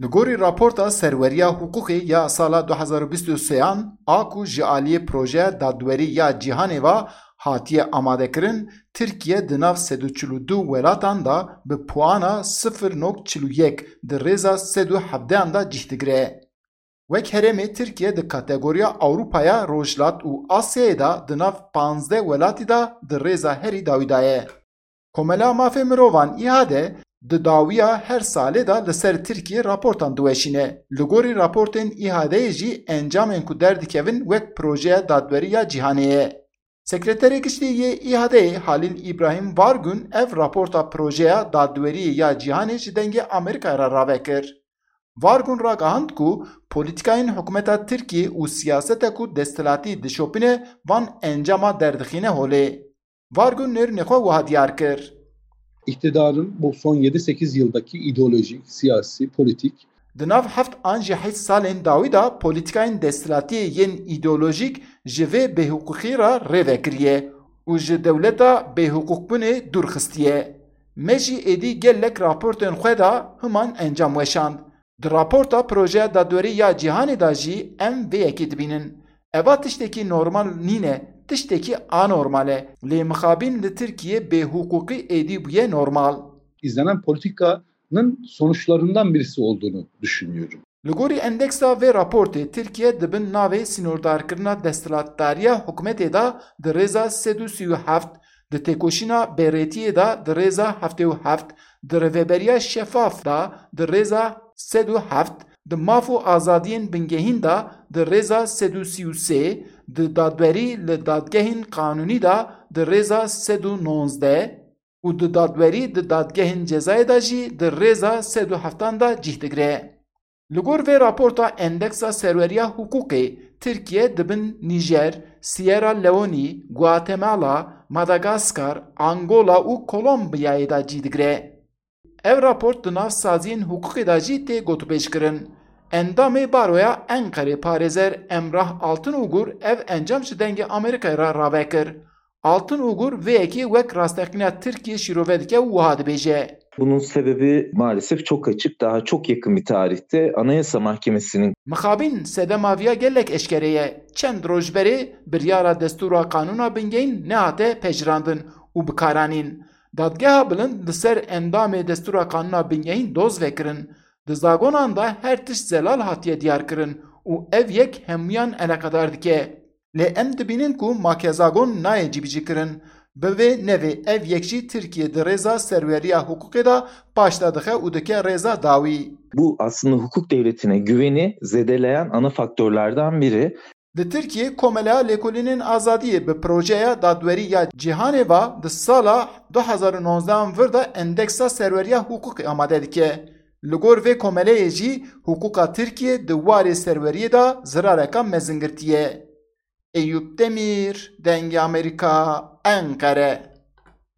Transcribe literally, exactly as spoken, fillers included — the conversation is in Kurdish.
Li gorî raporta serweriya hiqûqê ya sala du hezar û bîst û sêyan a ku ji aliyê projeya dadwerî ya cîhanê ve hatiye amadekirin, Tirkiye di nav sed û çil û du welatan de bi puana sifir nokte çil û yek di rêza sed û hevdehan de cih digire. Wek herêmê Tirkiye di kategoriya Ewropaya Rojhilat û Asyayê de di nav panzdeh welatî de di rêza herî dawî de ye. Komela Mafê Mirovan, İHAD, di dawiya her salê de li ser Tirkiye raportan diweşîne. Li gorî raportên İHAD'ê jî encamên ku derdikevin wek projeya dadwerî ya cîhanê ye. Sekreterê Giştî yê İHAD'ê Halil İbrahim Vargun ev raporta projeya dadweriyê ya cîhanê ji Dengê Amerîkayê re rave kir. Vargun ragihand ku polîtîkayên hikûmeta Tirkiyê û siyaseta ku desthilatî dişopîne van encama derdixîne holê. Vargun nêrînê xwe wiha diyar kir. İktidarın bu son yedi sekiz yıldaki ideolojik, siyasi, politik Di nav heft an jî heşt salên dawî de polîtîkayên desthilatiyê yên îdeolojîk ji vê bêhiqûqî re rê vekiriye û ji dewleta bêhiqûqbûnê dûr xistiye. Me jî êdî gelek raportên xwe de himan encam weşand. Di raporta Projeya Dadwerî ya Cîhanê de jî em vê yekê dibînin. Eva tiştekî normal nîne, tiştekî anormal e. Lê mixabîn li Tirkiyê bêhiqûqî êdî bûye normal. İzlenen politikanın sonuçlarından birisi olduğunu düşünüyorum. Li gorî endeksa vê raportê, Tirkiye di bin navê sînordarkirina desthilatdariya hikûmetê de di rêza sed û sî û heft, di têkoşîna bêrêtiyê de di rêza heftê û heft, di rêveberiya şefaf de di rêza sed û heft, di maf û azadiyên bingehîn de di rêza sed û sî û sê, di dadwerî li dadgehên qanûnî de di rêza sed û nozdeh û di dadwerî di dadgehên cezayê de jî di rêza sed û heftan de cih digire. Li gor vê raporta Endeksa Serweriya Hiqûqê, Tirkiye di bin Nîjer, Sierra Leone, Guatemala, Madagaskar, Angola û Kolombiyayê de cî digire. Ev raport di nav saziyên hiqûqê de jî tê gotûbêjkirin. Endamê Baroya Enqerê parêzer Emrah Altınugur ev encam ji Dengê Amerîkayê re rave kir. Altınugur vê yekê wek rasteqîna Tirkiyê şîrove dike û wiha dibêje. Bunun sebebi maalesef çok açık, daha çok yakın bir tarihte Anayasa Mahkemesi'nin Mixabîn sedema viya gelek eşkere ye. Çend roj berê biryara destûra qanûna bingehîn nehate pejirandin û bikaranîn. Dadgeha Bilind li ser endamê destûra qanûna bingehîn doz vekirin. Di zagonan de her tişt zelal hatiye diyarkirin û ev yek hemûyan eleqedar dike. Lê em dibînin ku make zagon nayê cîbicîkirin. Bi vê nevê ev yek jî Tirkiye di rêza serweriya hiqûqê de paş de dixe û dike rêza dawî. Bu aslında hukuk devletine güveni zedeleyen ana faktörlerden biri. Li Tirkiyê Komeleya Lêkolînên Azadiyê bi projeya dadwerî ya cîhanê ve di sala du hezar û nozdehan vir de endeksa serweriya hiqûqê amade dike. Li gor vê komeleyê jî hiqûqa Tirkiyê di warê serweriyê de zirareka mezin girtiye. Eyûp Demîr, Dengê Amerîka, Enqere.